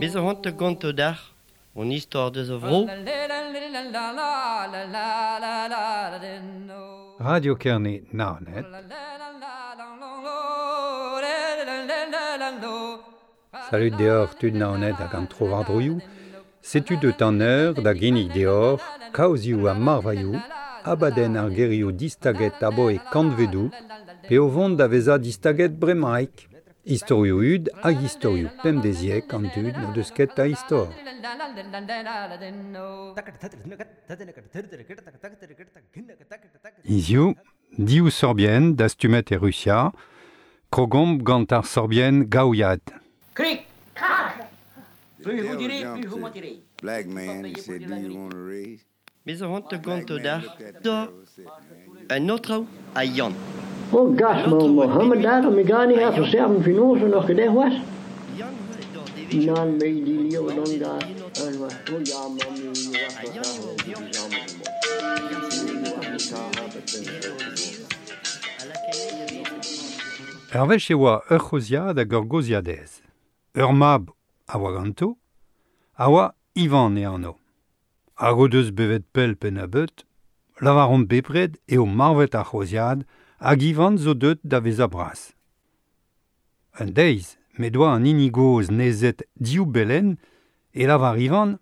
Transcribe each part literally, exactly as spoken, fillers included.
Bez a c'hoant gonto d'ar, on istor deus a vro. Radio Kerne Naoned. Salut deoc'h tud Naoned hag an tro war-droioù. Setu deut an eur da ginnig deoc'h kaozioù ha marvailhoù, abadenn ar gerioù distaget aboe kantvedoù, pe o vont da vezañ distaget bremaik. Istorioù hud hag istorioù pemdeziek an dud n'o deus ket a istor. Hiziv, div sorbienn dastumet e Rusia, krogomp gant ar sorbienn gaouiad. Krik, krak. Plus vous direz, plus vous mentirez. Black man, he said, do you want a raise? Bez a c'hoant gonto d'ar, da un autre a Yann. Oh gas, Mohammed daar, mi gani ha verserven finoze nog gedacht was. Nan me die leeuw dan daar. En was oh ja man Ur wech e oa ur c'hoziad hag ur goziadez. Ur mab a oa ganto, a oa Ivan e anv. Hag o deus bevet pell penn-a-beut, lavaront bepred eo marvet ar c'hoziad hag Ivan zo deut da vezañ bras. Un deiz, m'he doa an hini gozh nezet div belen e lavar Ivan,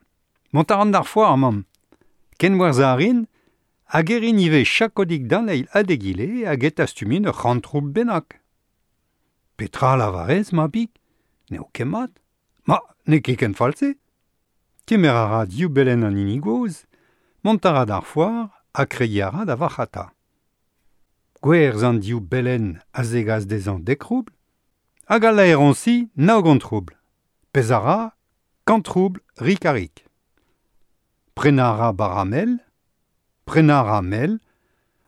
mont a ran d'ar foar, mamm. Ken gwerzhañ a rin, hag e rin ivez chakodig d'an eil ha d'egile hag e tastumin ur c'hant-troubl bennak. Petra lavarez, mabig? N'eo ket mat. Ma, n'eo ket ken fall-se. Kemer a ra div belen an hini gozh, mont a ra d'ar foar ha kregiñ a ra da varc'hata. Gwerzh an div belen a zegas dezhañ dek roubl, hag al laeroñsi nav gant roubl. Pezh a ra, kant roubl rik-ha-rik. Prenañ a ra baramel, prenañ a ra mel,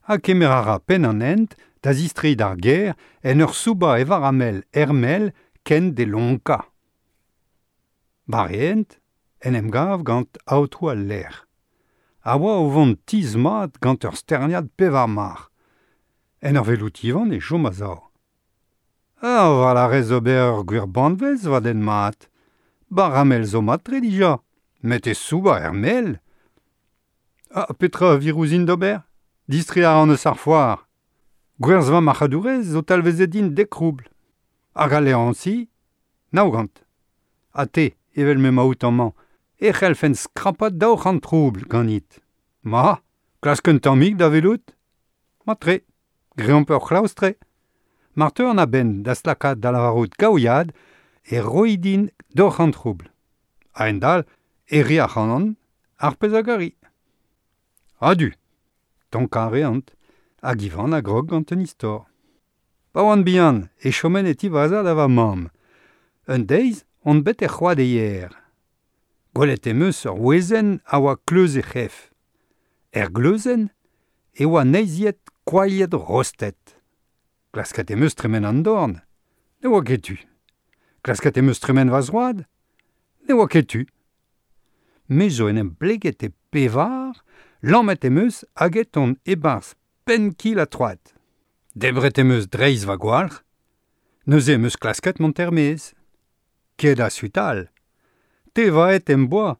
ha kemer a ra penn an hent da zistreiñ d'ar gêr en ur soubañ e varamel er mel ken d'e lonkañ. War e hent, en em gav gant aotrou al lec'h. A oa o vont tizh mat gant ur sterniad pevar marc'h. En ur welout Ivan e chom a-sav. Ah, war a rez ober ur gwir banvez va den mat. Baramel zo mat-tre dija, met e soubañ er mel. Ah, petra a vir ouzhin d'ober? Distreiñ a ran eus ar foar. Gwerzh va marc'hadourez zo talvezet din dek roubl. Hag al laeroñsi, nav gant. Ha te, evel m'emaout amañ, e c'hellfen skrapat daou c'hant roubl ganit. Ma, klask un tammig da welout? Mat-tre, greomp ur c'hlaoustre. Mar teu an a-benn da slakaat da lavarout gaouiad e roi din daou c'hant roubl. A-hend-all, e ri ac'hanon ar pezh a gari. Adu, tonkañ a reant, hag Ivan a grog gant un istor. Pa oan bihan, e chomen e ti va zad ha va mamm. Un deiz, on bet er c'hoad eier. Gwelet em eus ur wezenn a oa kleuz he c'hef. Er gleuzenn e oa neizhiet koailhet rostet. Klasket em eus tremen an dorn. Ne oa ket tu. Klasket em eus tremen va zroad. Ne oa ket tu. Me zo en em bleget e pevar, lammet em eus hag et on e-barzh penn-kil ha troad. Debret em eus dreist va gwalc'h. Neuze em eus klasket mont er-maez. Ket a sutal. Tevaet em boa.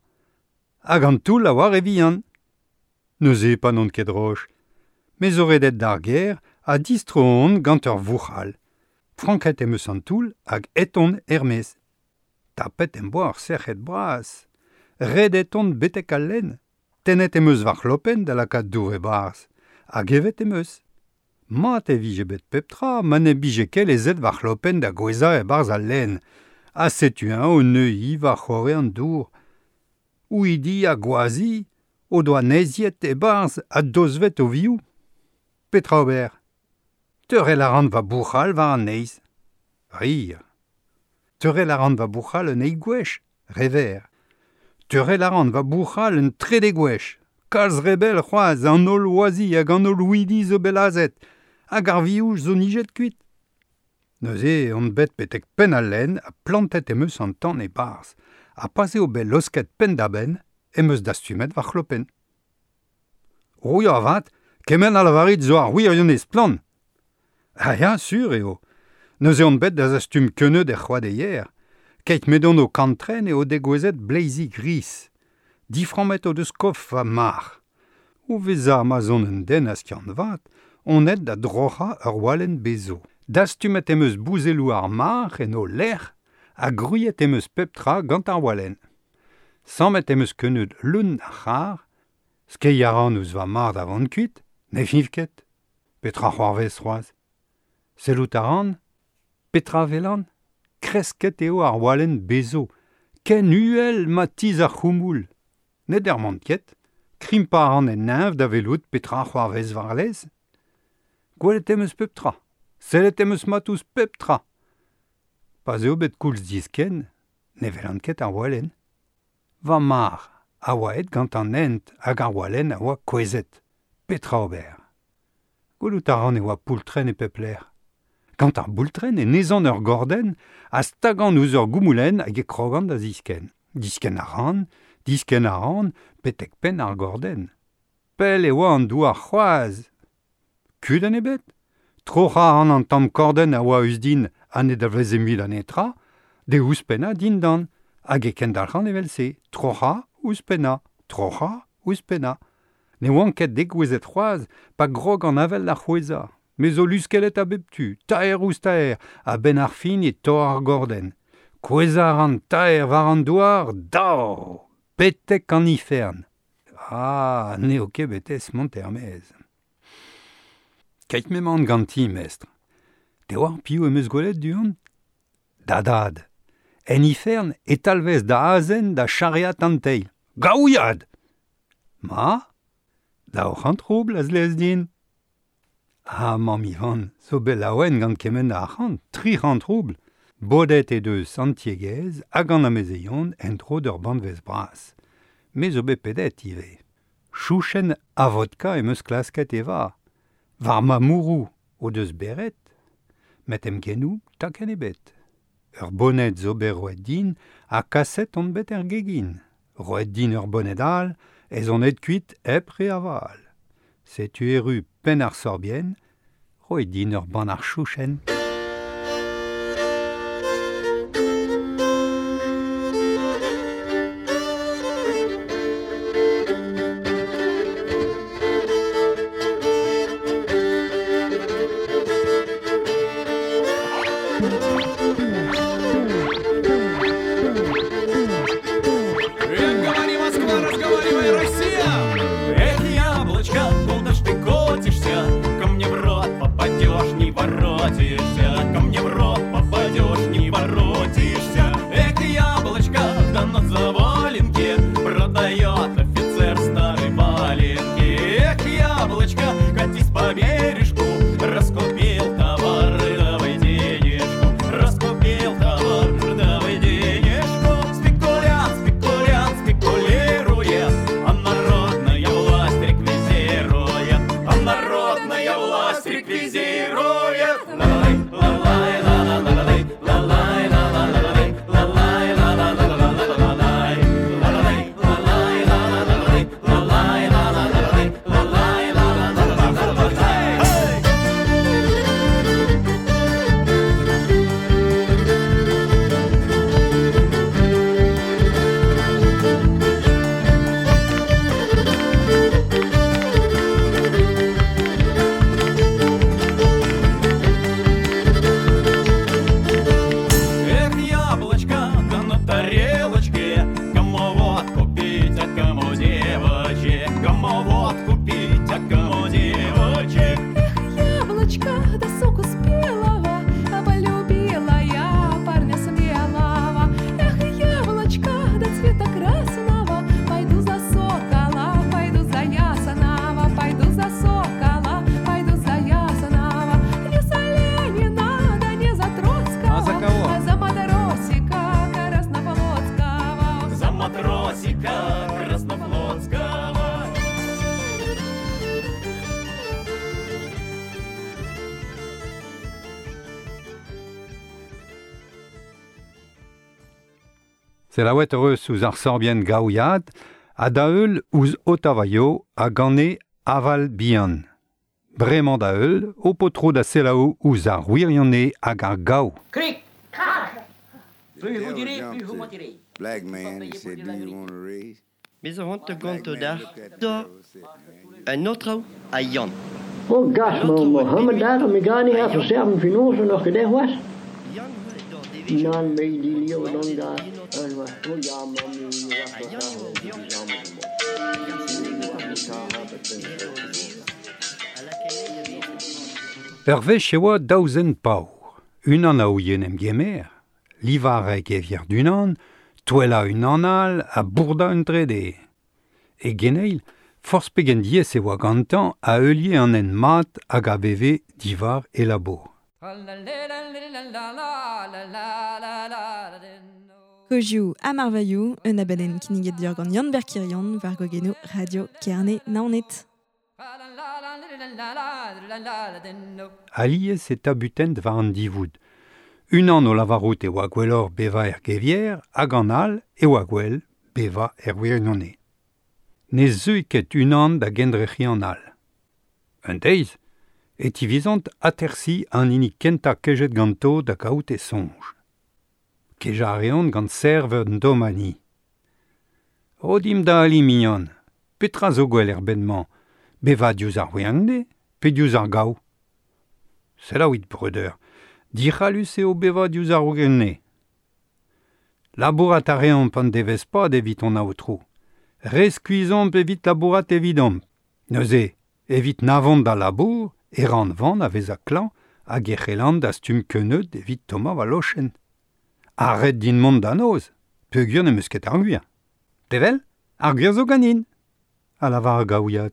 Hag an toull a oa re vihan. Neuze pa n'on ket droch. Me zo redet d'ar gêr ha distro on gant ur vouc'hal. Franket em eus an toull hag et on er-maez. Tapet em boa ur sec'hed bras. Redet on betek al lenn. Tennet em eus va c'hlopenn da lakaat dour e-barzh. Hag evet em eus. Mat e vije bet pep tra ma ne bije ket lezet va c'hlopenn da gouezhañ e-barzh al lenn. Ha setu-eñ o neuiñ war c'horre an dour. Houidi ha gwazi o doa neizhiet e-barzh ha dozvet o vioù. Petra ober? Teurel a ran va bouc'hal war an neizh. Rire. Teurel a ran va bouc'hal un eil gwech. Rever. Teurel a ran va bouc'hal un trede gwech. Kalz rebel c'hoazh an holl wazi hag an holl houidi zo belazet hag ar vioù zo nijet kuit. Neuze on bet betek penn al lenn ha plantet em eus an tan e-barzh. Ha pa'z eo bet losket penn-da-benn em eus dastumet va c'hlopenn. Rouilh avat, kement a lavarit zo ar wirionez splann. Ah ya, sur eo. Neuze on bet da zastum keuneud er c'hoadeier. Keit medon o kantren eo degouezet bleizi gris. Diframmet o deus kof va mar. O veza ma zon un den a skiant vat, on ed da droc'ha ur walen bezo. Dastumet em eus bouzelou ar mar en o lec'h ha gruiet em eus pep tra gant ar walen. Sammet em eus keuneud leun ar c'har, skei a ran ouzh va mar da vont kuit, ne fiñv ket. Petra c'hoarvez c'hoazh. Sellout a ran, petra velan, kresket eo ar walen bezo, ken uhel ma tiz ar c'houmoul. Ne dermant ket, krimpa a ran en neñv da velout petra c'hoarvez war-lez. Gwelet em eus pep tra, sellet em eus mat ouzh pep tra. Pa 'z eo bet koulz disken, ne velan ket ar walen. Va mar a oa aet gant an hent hag ar walen a oa kouezhet. Petra ober. Gwelout a ran e oa poultren e pep lec'h. Gant ar boultren e nezan ur gordenn a stagan ouzh ur goumoulenn hag e krogan da ziskenn. Diskenn a ran, diskenn a ran, betek penn ar gordenn. Pell e oa an douar c'hoazh. Kudenn ebet. Troc'hañ a ran an tamm kordenn a oa eus din ha ne dalveze mui da netra, de ouzhpennañ dindan, hag e kendalc'han evel-se. Troc'hañ, ouzhpennañ, troc'hañ, ouzhpennañ. Ne oan ket degouezhet c'hoazh pa grog an avel da c'hwezhañ. Me zo luskellet a bep tu, taer ouzh taer, a-benn ar fin e torr ar gordenn. Kouezhañ a ran taer war an douar, dao! Betek an ifern. Ah, n'eo ket betez mont er-maez. Keit m'emaon ganti, mestr. Te oar piv em eus gwelet du-hont? Da dad. En ifern e talvez da azen da charreat an teil. Gaouiad! Ma? Daou c'hant roubl a zlez din. Ah, mamm Ivan, zo bet laouen gant kement a arc'hant, tri c'hant roubl. Bodet e deus an tiegezh hag an amezeion en-dro d'ur banvez bras. Me zo bet pedet ivez. Chouchen a vodka em eus klasket eva. War ma mourou o deus beret, met em genou takenn ebet. Ur boned zo bet roet din ha kaset on bet er gegin. Roet din ur boned all, ez on aet kuit hep re aval. Setu erru penn ar sorbienn, roet din ur bann ar chouchen. Говори, Москва, разговаривай, Россия! Эх, яблочко, куда ж ты котишься? Ко мне в рот попадешь, не воротишься. Ко мне в рот попадешь, не воротишься. Эх, яблочко, да на заваленке продает офицер старый валенки. Эх, яблочко, катись по бережку, раскупил товар, давай денежку. Раскупил товар, давай денежку. Спекулянт, спекулянт, спекулирует, а народная власть реквизирует, а народная власть реквизирует. Ла-лай, ла-лай, ла-ла-ла-лай, ла-лай, ла-ла-ла-лай, ла-лай, ла-ла-ла-ла-ла-лай, ла-лай, ла-лай, ла-ла-ла-лай, ла-лай, ла-ла-ла-лай, ла-лай, ла-ла-ла-ла-ла-лай. Эх, яблочко, да на тарелочке, кому водку пить, а кому девочек, кому водку пить, а кому девочек. Яблочко, да соку спелого, а полюбила я парня смелого. Эх, яблочко, да цвета красного, пойду за сокола, пойду за ясного, пойду за сокола, пойду за ясного. Не за Ленина, да не за Троцкого, А за кого? а за матросика Краснофлотского. За матросика Краснофлотского. Selaouet eus ouzh ar sorbienn gaouiad, ha da heul ouzh Otavaio a gane aval bihan. Bremañ da heul, o potro da selaou ouzh ar wirionez hag ar gaou. Krik, krak. Plus vous direz, plus vous mentirez. Black man, he said, do you want a raise? Bez a hont ganto da da un autre a Yann. Oh gas, ma Mohammed daar, mi gani ha verserven finoze nog gedeg was. Nan me die leeuw dan daar. En wat, oh ja, man, nu Ur wech e oa daou zen paour. Unan a ouien em gemer, livarek e vier d'unan, touella unan all a bourda un trede. E geneil, forz pegen diez e oa gantañ a heulier an en mat hag a beve divar e labour. Kozioù ha marvailhoù, un abadenn kinniget dior gant Yann Berkirion war gogeno Radio Kerne Naoned. Alies e tabutent war an divoud. Unan o lavarout e oa gwelloc'h beva er gevier hag an all e oa gwell beva er wirionez. Ne zeu ket unan da gendrec'hiñ an all. Un deiz, e tivizont atersi an hini kentañ kejet ganto da kaout e soñj. Kejañ a reont gant serv an domani. Ro dimp da ali mignon, petra zo gwell er bed-mañ, beva diouzh ar wirionez pe diouzh ar gaou. Selaouit breudeur, dic'hallus eo beva diouzh ar wirionez. Labourat a reomp an devezh pad evit hon aotrou. Re skuizhomp evit labourat evidomp. Neuze, evit navont da labour, e ran van a vez a klañv hag e c'hellan da stumm keuneud evit tommañ va lochenn. Arret din mont da noz, peogwir n'em eus ket ar gwir. Tevel, ar gwir zo ganin, a lavar ar gaouiad.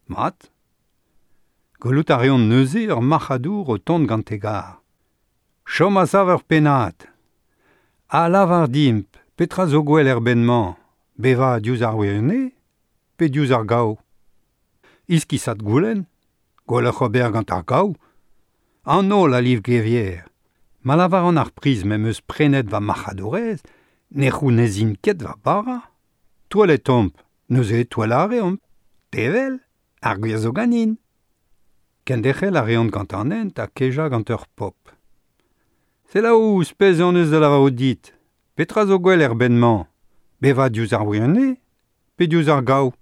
Mat. Gwelout a reont neuze ur marc'hadour o tont gant e gar. Chom a sav ur pennad. A lavar dimp, petra zo gwell er bed-mañ, beva diouzh ar wirionez, pe diouzh ar gaou. Iskisat goulenn, gwelloc'h ober gant ar gaou. An holl a liv gevier. Ma lavar an ar priz m'em eus prenet va marc'hadourez, ne c'hounezin ket va bara. Touellet omp, neuze touellañ a reomp. Tevel, ar gwir zo ganin. Kenderc'hel a reont gant an hent ha kejañ gant ur pop. Selaou, spez hon eus da lavarout dit. Petra zo gwell er bed-mañ? Beva diouzh ar wirionez, pe diouzh ar gaou?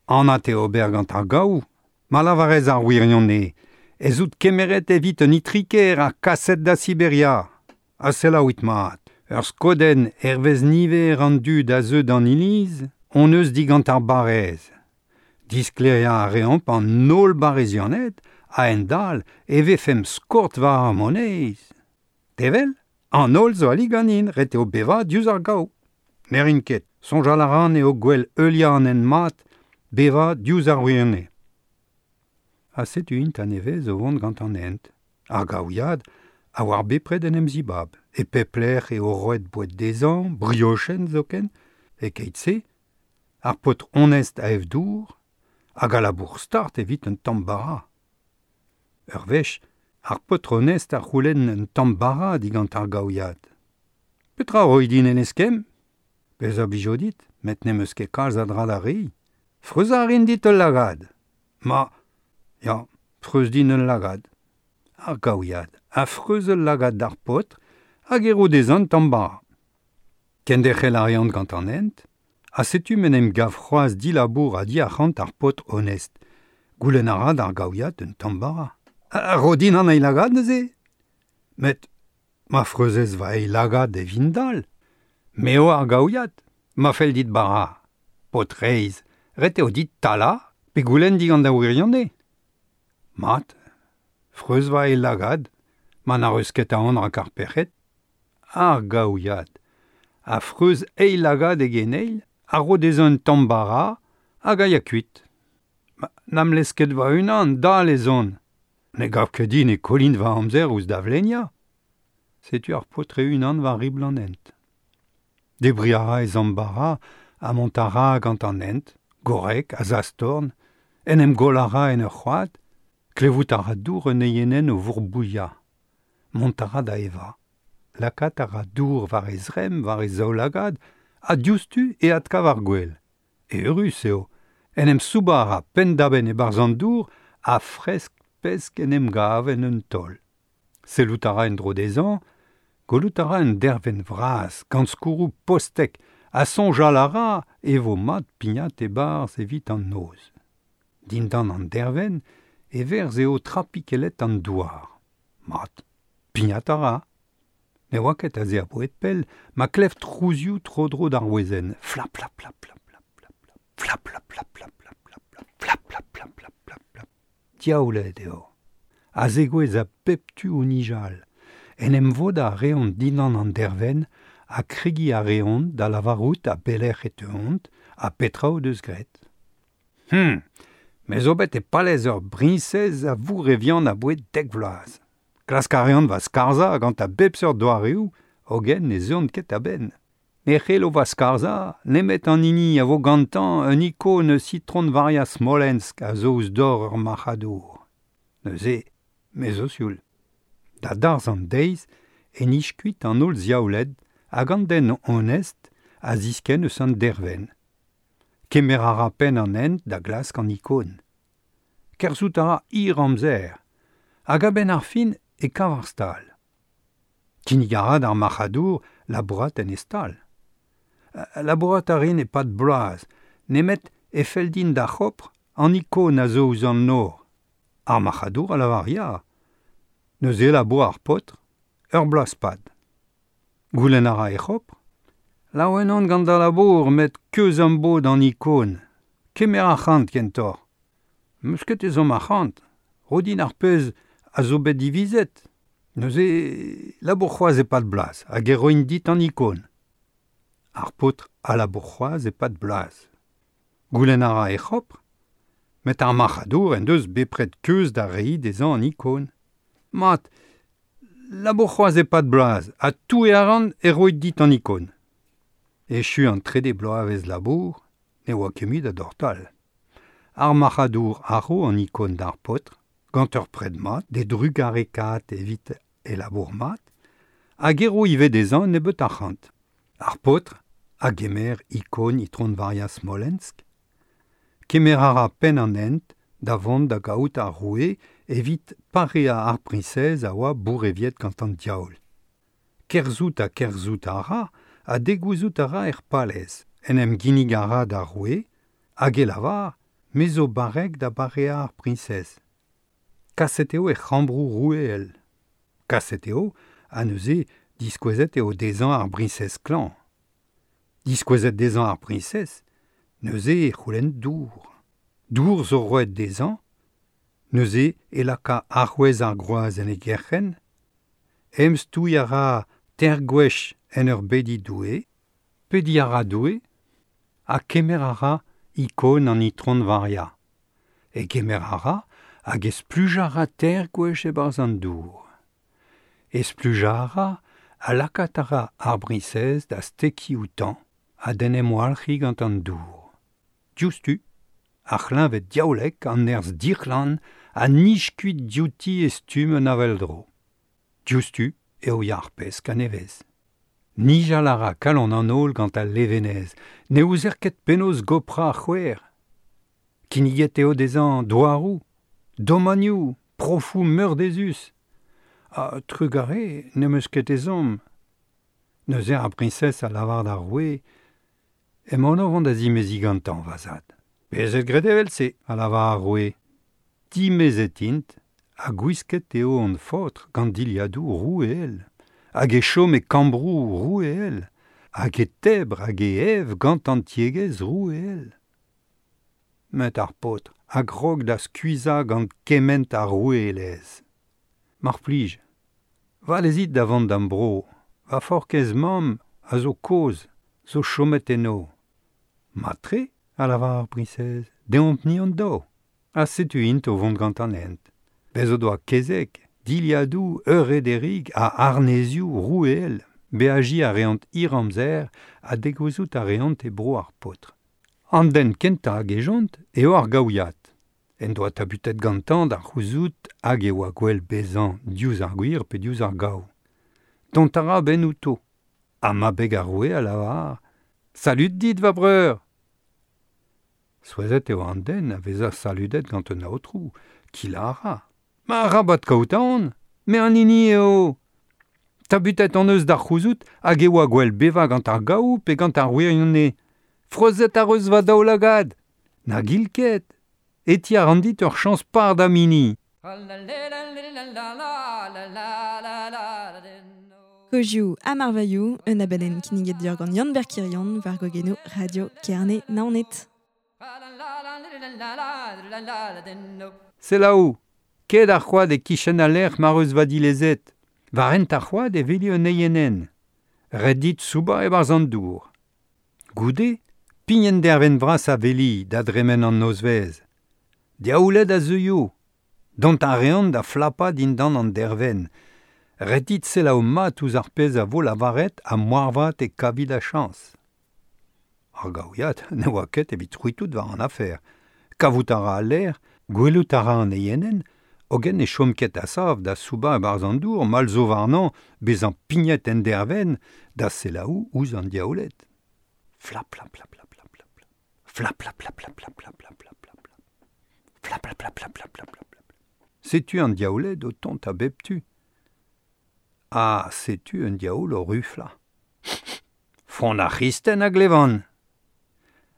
Anat eo ober gant ar gaou, ma lavarez ar wirionez, ez out kemeret evit un itriker ha kaset da Siberia. Ha selaouit mat, ur skodenn hervez niver an dud a zeu d'an iliz, hon eus digant ar barrez. Diskleriañ a reomp an holl barrezianed a hent-dall e vefemp skort war ar moneiz. Tevel, an holl zo ali ganin, ret eo bevañ diouzh ar gaou. Ne rin ket, soñjal a ran eo gwell heuliañ an hent mat, bevañ diouzh ar wirionez. Ha setu int a-nevez o vont gant an hent. Ar gaouiad a oar bepred en em zibab. E pep lec'h eo roet boued dezhañ, briochenn zoken, e keit-se, ar paotr onest a ev dour, hag a labour start evit un tamm bara. Ur wech, ar paotr onest a c'houlenn un tamm bara digant ar gaouiad. Petra roi din en eskemm? Pezh a blijo dit, met n'em eus ket kalz a dra da reiñ. Freuzañ a rin dit ul lagad. Ma, ya, freuz din ul lagad. Ar gaouiad a freuz ul lagad d'ar paotr hag e ro dezhañ un tamm bara. Kenderc'hel a reont gant an hent, ha setu m'en em gav c'hoazh dilabour ha diarc'hant ar paotr onest. Goulenn a ra d'ar gaouiad un tamm bara. A ro din an eil lagad neuze? Met ma freuzez va eil lagad e vin dall. Me eo ar gaouiad, ma fell dit bara. Paotr reizh, ret eo dit talañ pe goulenn digant da wirionez. Mat, freuz va eil lagad, ma n'ar eus ket aon rak ar pec'hed. Ar gaouiad, a freuz eil lagad e geneil, a ro dezhañ un tamm bara hag a ya kuit. Ma, n'am lez ket va unan, dall ez on. Ne gav ket din e kollin va amzer ouzh da vleniañ. Setu ar paotr e-unan war ribl an hent. Debriñ a ra e zamm bara ha mont a ra gant an hent, gorrek a zastorn, en em goll a ra en ur c'hoad, klevout a ra dour un eienenn o vourbouilhañ. Mont a ra da evañ. Lakaat a ra dour war e zremm, war e zaoulagad, ha diouzhtu e adkav ar gwel. Eürus eo. En em soubañ a ra penn-da-benn e-barzh an dour a fresk pesk en em gav en un taol. Sellout a ra en-dro dezhañ, gwelout a ra un dervenn vras, gant skourroù postek, ha soñjal a ra e vo mat pignat e-barzh evit an noz. Dindan an dervenn e verz eo trapikellet an douar. Mat, pignat a ra. Ne oa ket aze a-bouez pell, ma klev trouzioù tro-dro d'ar wezenn. Flap, flap, flap, flap, flap, flap, flap, flap, flap, flap, flap, flap, flap, flap, flap, flap, flap, flap. Diaouled eo. A zegouezh a bep tu o nijal. En em vodañ a reont dindan an dervenn ha kregiñ a reont da lavarout a belec'h e teuont ha petra o deus graet. Hm, me zo bet e palez ur briñsez a vourrevian a-bouez dek vloaz. Klask a reont va skarzhañ gant a bep seurt doareoù, hogen ne zeuont ket a-benn. Ne c'hello va skarzhañ nemet an hini a vo gantañ un ikon eus Itron Varia Smolensk a zo ouzh dor ur marc'hadour. Neuze, me zo sioul. Da darzh an deiz e nij kuit an holl ziaouled hag an den onest a ziskenn eus an dervenn. Kemer a ra penn an hent da glask an ikon. Kerzhout a ra hir amzer, hag a-benn ar fin e kav ar stal. Kinnig a ra d'ar marc'hadour labourat en e stal. Labourat a rin e-pad bloaz, nemet e fell din da c'hopr an ikon a zo ouzh an nor. Ar marc'hadour a lavar ya. Neuze labour ar paotr, ur bloaz pad. Goulenn a ra e c'hopr. Laouen on gant da labour met keuz am bo d'an ikon. Kemer arc'hant kentoc'h. M'eus ket ezhomm arc'hant. Ro din ar pezh a zo bet divizet. Neuze labour c'hoazh e-pad bloaz hag e roin dit an ikon. Ar paotr a labour c'hoazh e-pad bloaz. Goulenn a ra e c'hopr, met ar marc'hadour en deus bepred keuz da reiñ dezhañ an ikon. Mat, labour c'hoazh e-pad bloaz ha touiñ a ran e roit dit an ikon. Echu an trede bloavezh labour, ne oa ket mui da dortal. Ar marc'hadour a ro an ikon d'ar paotr, gant ur pred mat, d'e drugarekaat evit e labour mat, hag e ro ivez dezhañ nebeut arc'hant. Ar paotr a gemer ikon Itron Varia Smolensk, kemer a ra penn an hent da vont da gaout ar roue evit pareañ ar priñsez a oa bourreviet gant an diaoul. Kerzhout ha kerzhout a ra, ha degouezhout a ra er palez, en em ginnig a ra d'ar roue, hag e lavar, me zo barrek da bareañ ar priñsez. Kaset eo e c'hambroù roueel. Kaset eo, ha neuze diskouezet eo dezhañ ar briñsez klañv. Diskouezet dezhañ ar priñsez, neuze e c'houlenn dour. Dour zo roet dezhañ, neuze e laka arouez ar groaz en e gerc'henn, em stouiñ a ra teir gwech en ur bediñ Doue, pediñ a ra Doue, ha kemer a ra ikon an Itron Varia. E kemer a ra hag e splujañ a ra teir gwech e-barzh an dour. E splujañ a ra ha lakaat a ra ar briñsez da stekiñ outañ ha d'en em walc'hiñ gant an dour. Diouzhtu, ar c'hleñved diaoulek an nerzh dic'hlan a nij kuit diouti e stumm un avel-dro. Diouzhtu eo ya ar pesk a-nevez. Nijal a ra kalon an holl gant al levenez, ne ouzer ket penaos goprañ ar c'houer. Kinniget eo dezhañ douaroù, domanioù, profoù meurdezus. Ha trugarez n'em eus ket ezhomm. Neuze ar briñsez a lavar d'ar roue, emaon o vont da zimeziñ gantañ, va zad. Bezet graet evel-se, a lavar ar roue. Dimezet int, ha gwisket eo hon faotr gant dilhadoù roueel, hag e chom e kambroù roueel, hag e tebr hag e ev gant an tiegezh roueel. Met ar paotr a grog da skuizhañ gant kement ar roueelezh. Mar plij, va lezit da vont d'am bro, va forkez mamm a zo kozh, zo chomet eno. Mat-tre, a lavar ar briñsez, deomp-ni hon daou. Ha setu int o vont gant an hent. Bez o doa kezeg, dilhadoù, eurederig ha arnezioù roueel. Beajiñ a reont hir amzer ha degouezhout a reont e bro ar paotr. An den kentañ a gejont eo ar gaouiad. En doa tabutet gantañ da c'houzout hag e oa gwell bezañ diouzh ar gwir pe diouzh ar gaou. Dont a ra benn outo. Ha ma beg ar roue a lavar, Salud dit, va breur! Souezhet eo an den a vezañ saludet gant un aotrou, Kilara. Ma rabat kaout aon, me an hini eo. Tabutet an eus d'ar c'houzout hag e oa gwell beva gant ar gaou pe gant ar wirionne. Frozet ar eus va daoulagad. Na gil ket. Eti ar an dit ur chañs par da mini. Kozioù ha marvailhoù, un abadenn kinniget deoc'h gant Yann Berkirion war gogenoù Radio Kerne Naoned. Selaou, ket ar c'hoad e kichen a lec'h mar eus va dilezet. War hent ar c'hoad e veli un eienenn. Ret dit souba e-barzh an dour. Goude, pign dervenn vras a veli da dremen an nozvezh. Diaouled a zeuio. Dont ar reont da flapa dindan an dervenn. Ret dit selaou mat ouzh ar pezh a vo lavaret ha moarvat e kavi da chañs. Ar gaouiad ne oa ket evit c'hwitout war an afer. Kavout a ra al lec'h, gwelout a ra an eienenn, hogen e chom ket a-sav da soubañ e-barzh an dour, mall zo warnañ bezañ pignet en dervenn da selaou ouzh an diaouled. Flap, flap, flap, flap, flap, flap. Flap, flap, flap, flap, flap, flap, flap, flap, flap. Flap, flap, flap, flap, flap, flap, flap. Setu an diaouled o tont a bep tu. Ah, setu un diaoul o rufla. Front ar c'hristen a glevan.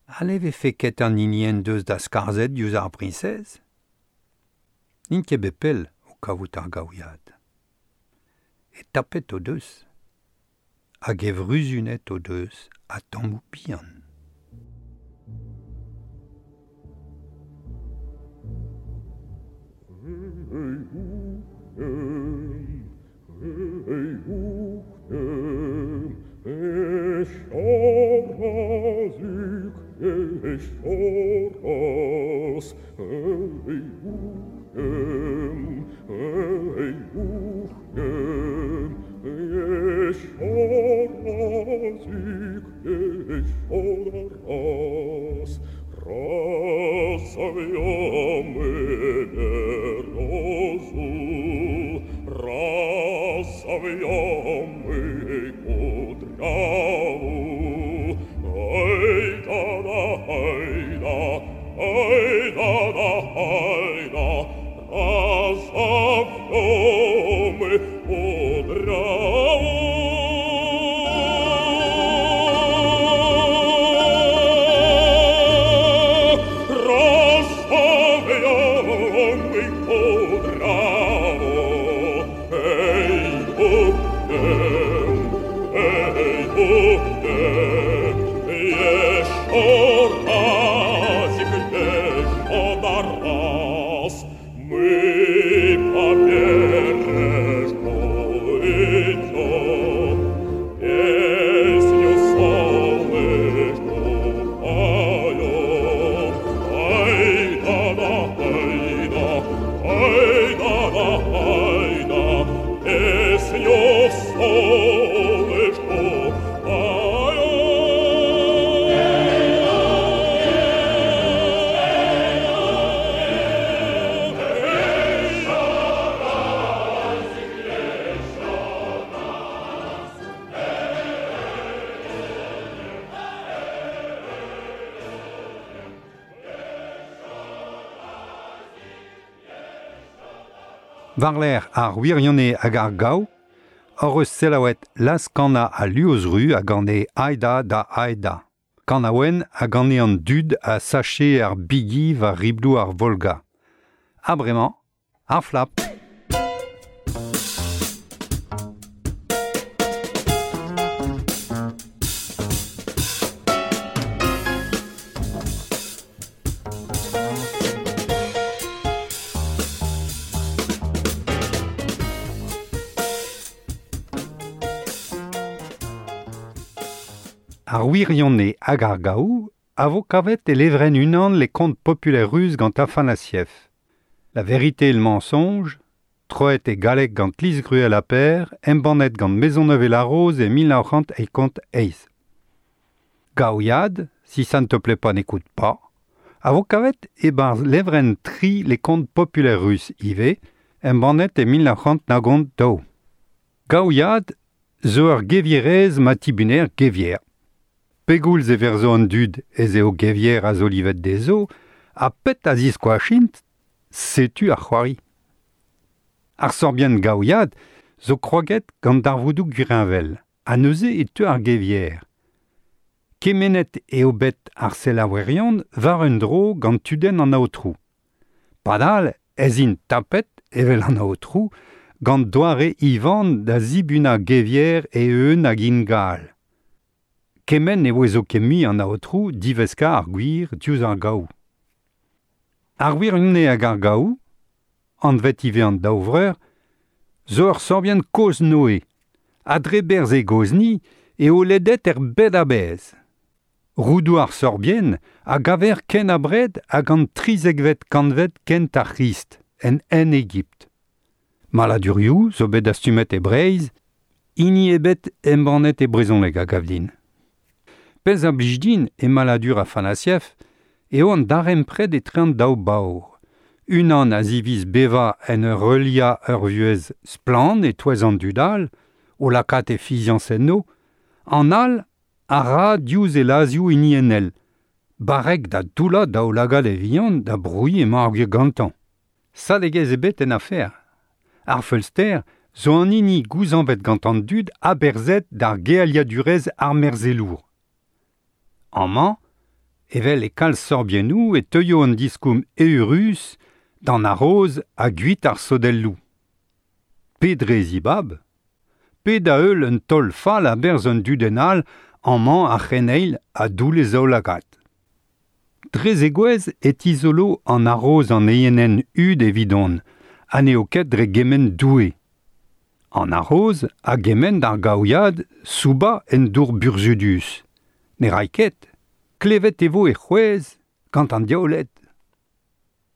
Ha ne vefe ket an hini en deus da skarzhet diouzh ar briñsez? N'int ket bet pell o kavout ar gaouiad. E tapet o deus. Hag e vruzunet o deus a tammoù bihan. War-lerc'h ar wirionez hag ar gaou, hor eus selaouet Las Kana a Luozru a gane Aida da Aida. Kanaouen a gane an dud a sache ar bigi war ribloù ar Volga. Ha bremañ, ar flap. Ar wirionez hag ar gaou a vo kavet e levren unan les contes populaires russes gant Afanasieff. La vérité et le mensonge, troet e galleg gant Lise Gruel a per, embannet gant Maisonneuve et la Rose e mil nav c'hant eizh eizh. Gaouiad, si ça ne te plaît pas n'écoute pas, a vo kavet e-barzh levren tri les contes populaires russes ivez, embannet e mil nav c'hant nagont daou. Gaouiad zo ur gevierez ma tibuner gevier. Pegoulz e verzo an dud ez eo gevier a zo livet dezo, ha pet a ziskoachint, Setu ar c'hoari. Ar sorbienn gaouiad zo kroaget gant darvoudoù gwirheñvel, ha neuze e teu ar gevier. Kemenet eo bet ar selaouerion war un dro gant tudenn an aotrou. Padal ez int tapet, evel an aotrou, gant doare Ivan da zibuna gevier e eun hag ingal. Kement e oezo ket mui an aotrou diveska ar gwir diouzh ar gaou. Ar wirionez hag ar gaou, anvet ivez an daou vreur, zo ur sorbienn kozh-Noe, ha dre berzh e gozhni eo ledet er bed a-bezh. Roudoù ar sorbienn a gaver ken abred hag an trizekvet kantved kent ar C'hrist, en Hen-Egipt. Maladurioù zo bet dastumet e Breizh, hini ebet embannet e brezhoneg a gav din. Pezh a blij din e maladur Afanasieff eo an darempred etre an daou baour. Unan a ziviz bevañ en ur heuliañ ur vuhez splann e-touez an dud all, o lakaat e fiziañs enno, an all a ra diouzh e lazioù hiniennel, barrek da doullañ daoulagad e vihan da brouiñ emañ ar gwir gantañ. Sadegezh ebet en afer. Ar feulster zo an hini gouzañvet gant an dud aberzhet d'ar gealiadurezh armerzhelour. Amañ, evel e kalz sorbiennoù e teuio an diskoulm eürus d'an aroz ha gwit ar sodelloù. Pe dre zibab, pe da heul un taol fall a-berzh un dudenn all amañ ar c'heneil a doull e zaoulagad. Dre zegouezh e tizolo an aroz an eienenn hud evidon, ha n'eo ket dre gemenn Doue. An aroz a gemenn d'ar gaouiad soubañ en dour burzhudus. Ne ray ket, klevet e vo e c'hwezh gant an diaouled.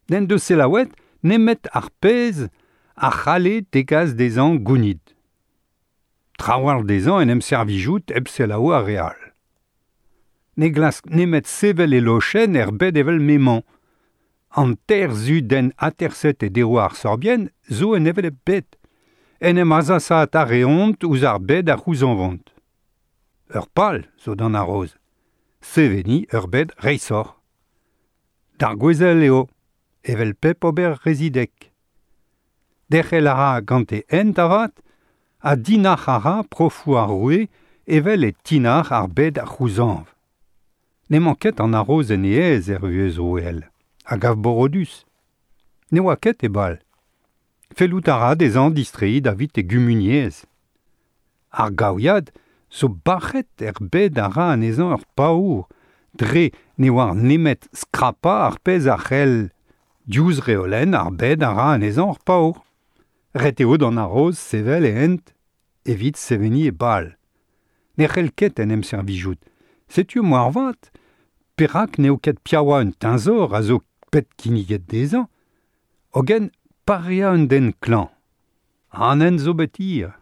N'en deus selaouet nemet ar pezh a c'halle degas dezhañ gounid. Trawalc'h dezhañ en em servijout hep selaou ar re all. Ne glask nemet sevel e lochenn er bed evel m'emañ. An teir zudenn aterset e deroù ar sorbienn zo en hevelep bed. En em azasaat a reont ouzh ar bed a c'houzañvont. Ur pal zo d'an aroz. Seveniñ ur bed reishoc'h. D'ar gouezel eo, evel pep ober rezidek. Derc'hel a ra gant e hent avat, ha dinac'h a ra profoù ar roue evel e tinac'h ar bed a c'houzañv. N'emañ ket an aroz en e aez er vuhez roueel, a gav borodus. Ne oa ket e bal. Fellout a ra dezhañ distreiñ davit e gumuniezh. Ar gaouiad zo bac'het er bed a ra anezhañ ur paour, dre ne oar nemet skrapañ ar pezh a c'hell diouzh reolenn ar bed a ra anezhañ ur paour. Ret eo d'an aroz sevel e hent evit seveniñ e bal. Ne c'hell ket en em servijout. Setu moarvat, perak n'eo ket piaouañ un teñzor a zo pet kinniget dezhañ, hogen pareañ un den klañv. An hent zo bet hir.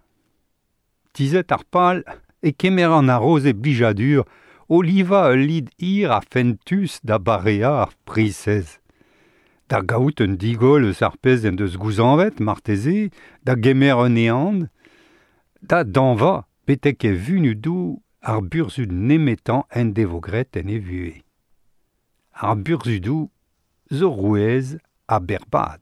Tizhet ar pal e kemer an aroz e blijadur o livañ ul lid hir ha fentus da bareañ ar priñsez. Da gaout un digoll eus ar pezh en deus gouzañvet, marteze, da gemer un ehan, da dañva betek e vunudoù ar burzhud nemetañ en devo graet en e vuhez. Ar burzhudoù zo rouez ha berrbad.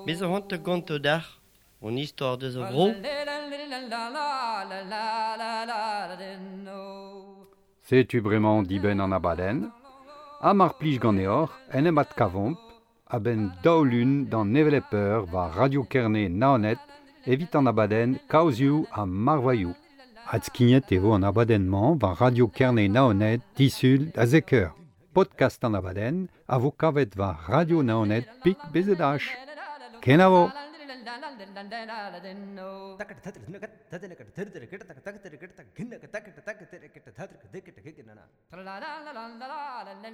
Bez a c'hoant gonto dac'h, on istor deus a vro. Setu bremañ dibenn an abadenn, ha mar plij ganeoc'h en em adkavomp a-benn daou lun d'an hevelep eur war Radio Kerne Naoned evit an abadenn Kaozioù ha Marvailhoù. Adskignet e vo an abadenn-mañ war Radio Kerne Naoned disul da zek eur. Podcast an abadenn a vo kavet war Radio Naoned pik B Z H. Kenavo! La la la la la la la.